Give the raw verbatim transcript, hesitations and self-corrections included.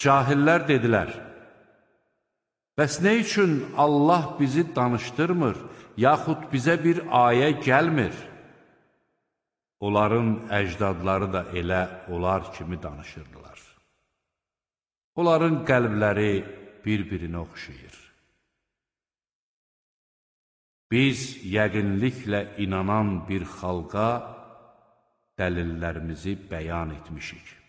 Cahillər dedilər, bəs nə üçün Allah bizi danışdırmır, yaxud bizə bir ayə gəlmir? Onların əcdadları da elə onlar kimi danışırdılar. Onların qəlbləri bir-birinə oxşayır. Biz yəqinliklə inanan bir xalqa dəlillərimizi bəyan etmişik.